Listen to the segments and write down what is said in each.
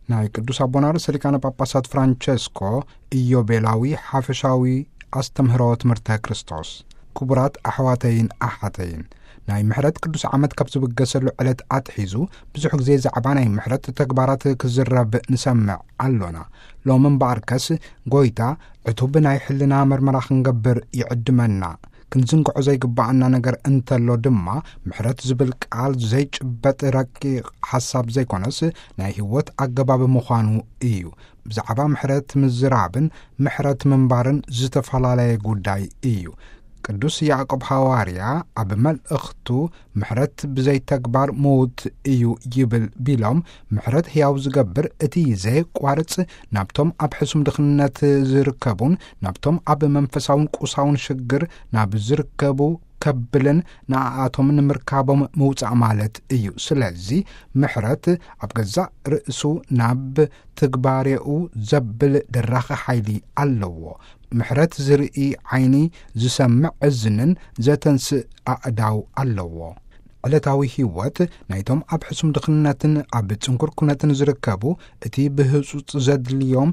ናይ ቅዱስ ኣቦና ርእሰ ሊቃነ ጳጳሳት ፍራንቸስኮ ኢዮቤላዊ ሓፈሻዊ ኣስተምህሮ ትምህርተ ክርስቶስ። ክቡራት ኣሕዋተይን ኣሓተይን፣ ናይ ምሕረት ቅዱስ ዓመት ካብ ዝብገሰሉ ዕለት ኣትሒዙ ብዙሕ ግዜ ዛዕባ ናይ ምሕረት ተግባራት ክዝረብ ንሰምዕ ኣሎና። ሎም እምበኣርከስ ጎይታ ዕቱብ ናይ ሕልና መርመራ ክንገብር ይዕድመና። ክንዝንግዖ ዘይግባኣና ነገር እንተሎ ድማ፣ ምሕረት ዝብል ቃል ዘይጭበጥ ረቂቕ ሓሳብ ዘይኮነስ፣ ናይ ህይወት ኣገባብ ምዃኑ እዩ። ብዛዕባ ምሕረት ምዝራብን ምሕረት ምንባርን ዝተፈላለየ ጉዳይ እዩ። ቅዱስ ያዕቆብ ሃዋርያ ኣብ መልእኽቱ፣ "ምሕረት ብዘይ ተግባር ምዉት እዩ" ይብል ቢሎም፣ ምሕረት ሕያው ዝገብር እቲ ዘየቋርጽ ናብቶም ኣብ ሕሱም ድኽነት ዝርከቡን ናብቶም ኣብ መንፈሳውን ቁሳውን ሽግር ናብ ዝርከቡ ከብልን ንኣኣቶም ንምርካቦም ምውጻእ ማለት እዩ። ስለዚ ምሕረት ኣብ ገዛእ ርእሱ ናብ ትግባሬኡ ዘብል ደራኺ ሓይሊ ኣለዎ። ምሕረት ዝርኢ ዓይኒ፣ ዝሰምዕ እዝንን ዘተንስእ ኣእዳው ኣለዎ። ዕለታዊ ህይወት ናይቶም ኣብ ሕሱም ድኽነትን ኣብ ጽንኩር ኩነትን ዝርከቡ እቲ ብህጹጽ ዘድልዮም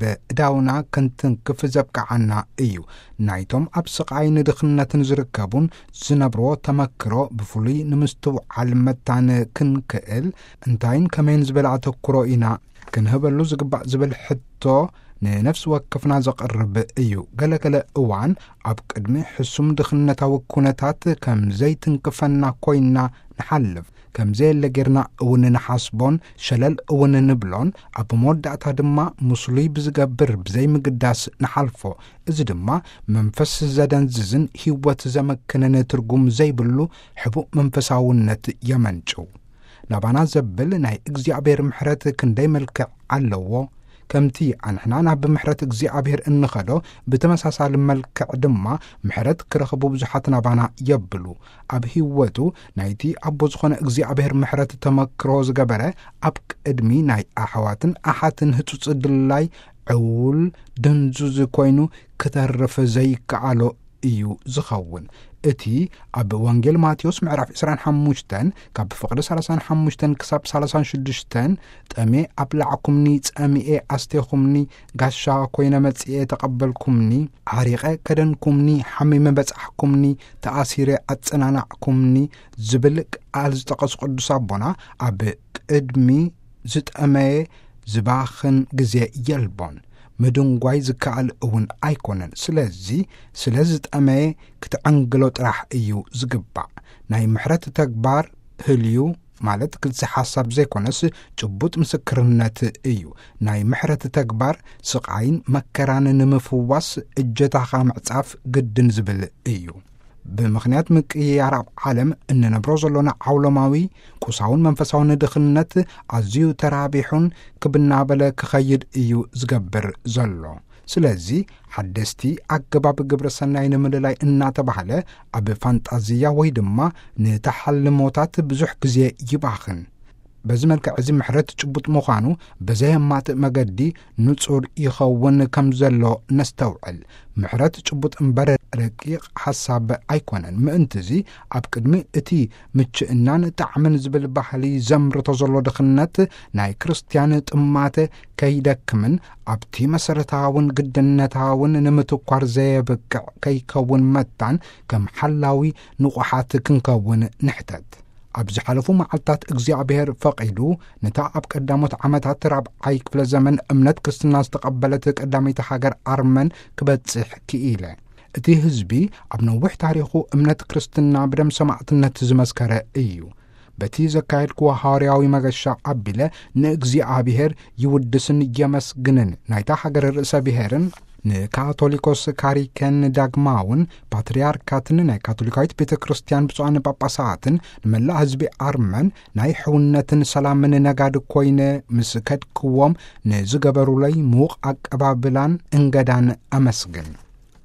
በእዳውና ክንትንክፍ ዘብቅዓና እዩ። ናይቶም ኣብ ስቓይ ንድኽነትን ዝርከቡን ዝነብርዎ ተመክሮ ብፍሉይ ንምስትውዓል መታን ክንክእል፣ እንታይን ከመይን ዝበለ ኣተኩሮ ኢና ክንህበሉ ዝግባእ ዝብል ሕቶ ንነፍሲ ወከፍና ዘቕርብ እዩ። ገለገለ እዋን ኣብ ቅድሚ ሕሱም ድኽነታዊ ኩነታት ከም ዘይትንክፈና ኮይና ንሓልፍ። ከም ዘየለ ጌርና እውን ንሓስቦን ሸለል እውን ንብሎን፣ ኣብ መወዳእታ ድማ ምስሉይ ብዝገብር ብዘይምግዳስ ንሓልፎ። እዚ ድማ መንፈስ ዘደንዝዝን ህይወት ዘመክንን ትርጉም ዘይብሉ ሕቡእ መንፈሳውነት የመንጭው። ናባና ዘብል ናይ እግዚኣብሔር ምሕረት ክንደይ መልክዕ ኣለዎ! ከምቲ ኣንሕና ናብ ምሕረት እግዚኣብሔር እንኸዶ፣ ብተመሳሳሊ መልክዕ ድማ ምሕረት ክረኽቡ ብዙሓት ናባና የብሉ። ኣብ ህይወቱ ናይቲ ኣቦ ዝኾነ እግዚኣብሔር ምሕረት ተመክሮ ዝገበረ፣ ኣብ ቅድሚ ናይ ኣሕዋትን ኣሓትን ህጹጽ ድላይ ዕውል ድንዙዝ ኮይኑ ክተርፍ ዘይከኣሎ እዩ ዝኸውን። እቲ ኣብ ወንጌል ማቴዎስ ምዕራፍ ዕስራን ሓሙሽተን ካብ ፍቕዲ ሰላሳን ሓሙሽተን ክሳብ ሰላሳን ሽዱሽተን፣ "ጠሜ ኣብላዕኩምኒ፣ ጸሚኤ ኣስቴኹምኒ፣ ጋሻ ኮይነ መጺኤ ተቐበልኩምኒ፣ ዓሪቐ ከደንኩምኒ፣ ሓሚመ በጻሕኩምኒ፣ ተኣሲረ ኣጸናናዕኩምኒ" ዝብል ቃል ዝጠቐሱ ቅዱስ ኣቦና፣ ኣብ ቅድሚ ዝጠመየ ዝባኽን ግዜ የልቦን፣ ምድንጓይ ዝከኣል እውን ኣይኮነን። ስለዚ ስለ ዝጠመየ ክትዕንግሎ ጥራሕ እዩ ዝግባእ። ናይ ምሕረት ተግባር ህልዩ፣ ማለት ግልጺ ሓሳብ ዘይኮነስ ጭቡጥ ምስክርነት እዩ። ናይ ምሕረት ተግባር ስቓይን መከራን ንምፍዋስ እጀታኻ ምዕጻፍ ግድን ዝብል እዩ። ብምኽንያት ምቅይያር ኣብ ዓለም እንነብሮ ዘሎና ዓውሎማዊ ቁሳውን መንፈሳውን ድኽነት ኣዝዩ ተራቢሑን ክብ እናበለ ክኸይድ እዩ ዝገብር ዘሎ። ስለዚ ሓደስቲ ኣገባብ ግብረ ሰናይ ንምልላይ እናተባህለ ኣብ ፋንጣዝያ ወይ ድማ ንተሓልሞታት ብዙሕ ግዜ ይባኽን። በዚ መልክዕ እዚ ምሕረት ጭቡጥ ምዃኑ ብዘየማትእ መገዲ ንጹር ይኸውን ከም ዘሎ ነስተውዕል። ምሕረት ጭቡጥ እምበር ረቂቕ ሓሳብ ኣይኮነን። ምእንትዚ ኣብ ቅድሚ እቲ ምችእናን ጣዕምን ዝብል ባህሊ ዘምርቶ ዘሎ ድኽነት ናይ ክርስትያን ጥማተ ከይደክምን ኣብቲ መሰረታውን ግድነታውን ንምትኳር ዘየብቅዕ ከይከውን መታን ከም ሓላዊ ንቑሓት ክንከውን ንሕተት። ኣብ ዝሓለፉ መዓልታት እግዚኣብሔር ፈቒዱ ነታ ኣብ ቀዳሞት ዓመታት ራብዓይ ክፍለ ዘመን እምነት ክርስትና ዝተቐበለት ቀዳመይቲ ሃገር ኣርመን ክበጽሕ ክኢለ። እቲ ህዝቢ ኣብ ነዊሕ ታሪኹ እምነት ክርስትና ብደም ሰማዕትነት ዝመስከረ እዩ። በቲ ዘካየድክዎ ሃዋርያዊ መገሻ ኣቢለ ንእግዚኣብሔር ይውድስን የመስግንን፣ ናይታ ሃገር ርእሰ ብሔርን ንካቶሊኮስ ካሪከን ዳግማውን ፓትርያርካትን ናይ ካቶሊካዊት ቤተ ክርስቲያን ብፁዓን ጳጳሳትን ንመላእ ህዝቢ ኣርመን ናይ ሕውነትን ሰላምን ነጋዲ ኮይነ ምስ ከድክዎም ንዝገበሩለይ ምዉቕ ኣቀባብላን እንገዳን ኣመስግን።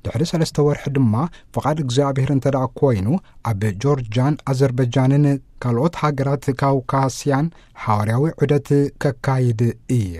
ድሕሪ ሰለስተ ወርሒ ድማ ፍቓድ እግዚኣብሔር እንተ ደኣ ኮይኑ ኣብ ጆርጃን ኣዘርበጃንን ካልኦት ሃገራት ካውካስያን ሓዋርያዊ ዑደት ከካይድ እየ።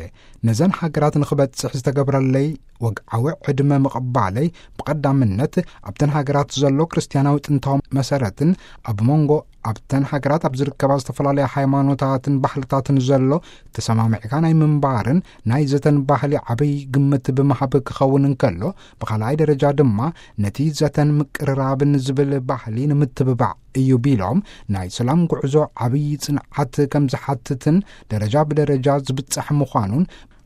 ነዘን ሃገራት ንኽበጽሕ ዝተገብረለይ ወግዓዊ ዕድመ ምቕባለይ ብቐዳምነት ኣብተን ሃገራት ዘሎ ክርስትያናዊ ጥንታዊ መሰረትን ኣብ መንጎ ኣብተን ሃገራት ኣብ ዝርከባ ዝተፈላለያ ሃይማኖታትን ባህልታትን ዘሎ ተሰማሚዕካ ናይ ምንባርን ናይ ዘተን ባህሊ ዓብይ ግምት ብምሃብ ክኸውን እንከሎ፣ ብኻልኣይ ደረጃ ድማ ነቲ ዘተን ምቅርራብን ዝብል ባህሊ ንምትብባዕ እዩ ቢሎም፣ ናይ ሰላም ጉዕዞ ዓብይ ጽንዓት ከም ዝሓትትን ደረጃ ብደረጃ ዝብጻሕ ምዃኑን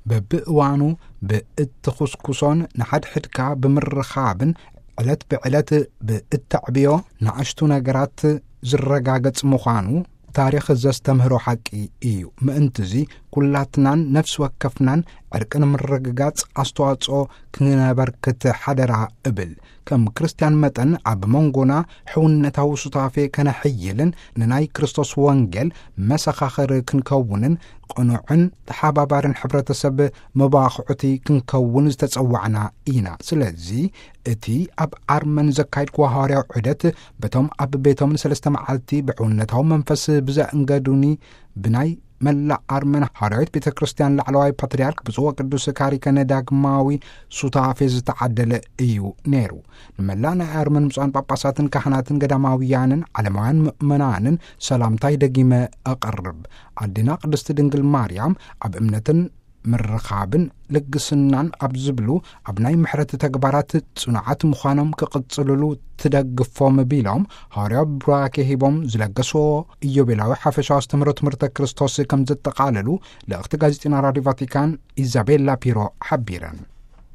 በብእዋኑ ብእትኹስኩሶን ንሓድሕድካ ብምርኻብን ዕለት ብዕለት ብእተዕብዮ ንኣሽቱ ነገራት ዝረጋገጽ ምዃኑ ታሪኽ ዘስተምህሮ ሓቂ እዩ። ምእንትዚ ኩላትናን ነፍሲ ወከፍናን ዕርቂ ንምርግጋጽ ኣስተዋጽኦ ክነበርክት ሓደራ እብል። ከም ክርስትያን መጠን ኣብ መንጎና ሕውነታዊ ሱታፌ ከነሕይልን ንናይ ክርስቶስ ወንጌል መሰኻኽር ክንከውንን ቅኑዕን ተሓባባርን ሕብረተሰብ መባኽዑቲ ክንከውን ዝተጸዋዕና ኢና። ስለዚ እቲ ኣብ ኣርመን ዘካየድክዎ ሃዋርያዊ ዑደት በቶም ኣብ ቤቶም ንሰለስተ መዓልቲ ብሕውነታዊ መንፈስ ብዘእንገዱኒ ብናይ መላእ ኣርመን ሃዋርያዊት ቤተ ክርስቲያን ላዕለዋይ ፓትርያርክ ብፁዕ ወቅዱስ ካሪከነ ዳግማዊ ሱታፌ ዝተዓደለ እዩ ነይሩ። ንመላእ ናይ ኣርመን ብፁዓን ጳጳሳትን ካህናትን ገዳማውያንን ዓለማውያን ምእመናንን ሰላምታይ ደጊመ ኣቐርብ። ኣዴና ቅድስቲ ድንግል ማርያም ኣብ እምነትን ምርኻብን ልግስናን ኣብ ዝብሉ ኣብ ናይ ምሕረት ተግባራት ጽኑዓት ምዃኖም ክቕጽልሉ ትደግፎም ቢሎም፣ ሃዋርያዊ ቡራኬ ሂቦም ዝለገስዎ ኢዮቤላዊ ሓፈሻዊ ኣስተምህሮ ትምህርተ ክርስቶስ ከም ዘጠቓለሉ ልእኽቲ ጋዜጢና ራዲዮ ቫቲካን ኢዛቤላ ፒሮ ሓቢረን።